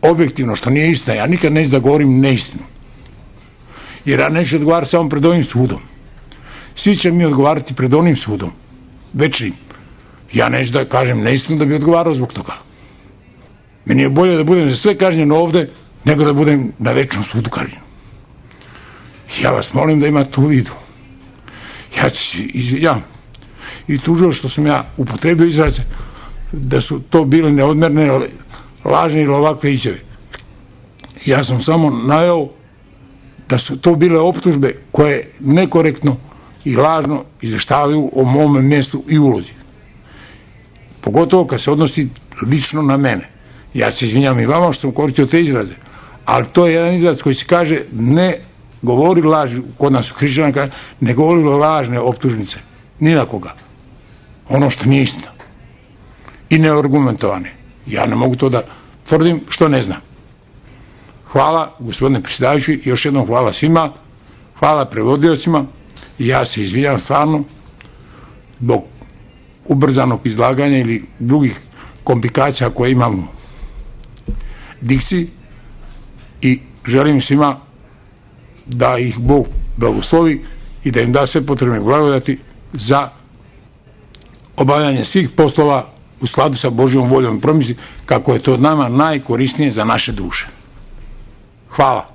objektivno, što nije istina. Ja nikad neću da govorim neistinu. Jer ja neću odgovarati samo pred ovim sudom. Svi će mi odgovarati pred onim sudom. Večnim. Ja neću da kažem neistinu da bi odgovarao zbog toga. Meni je bolje da budem za sve kažnjen ovde, nego da budem na večnom sudu kažnjen. Ja vas molim da imate u vidu. Ja ću se izvinjam i tužio što sam ja upotrebio izraze da su to bile neodmerne, lažne ili ovakve izjave. Ja sam samo naveo da su to bile optužbe koje nekorektno i lažno izveštavaju o mome mjestu i ulozi. Pogotovo kad se odnosi lično na mene. Ja se izvinjam i vama što sam koristio te izraze, ali to je jedan izraz koji se kaže ne govori laži, kod nas u hrišćanima ne govori lažne optužnice, ni na koga. Ono što nije istina. I neargumentovane. Ja ne mogu to da tvrdim što ne znam. Hvala, gospodine predsjedavajući, još jednom hvala svima, hvala prevodiocima i ja se izvinjam stvarno zbog ubrzanog izlaganja ili drugih komplikacija koje imam u dikciji i želim svima da ih Bog blagoslovi i da im da sve potrebne blagodati za obavljanje svih poslova u skladu sa Božjom voljom i promisli kako je to nama najkorisnije za naše duše. Hvala.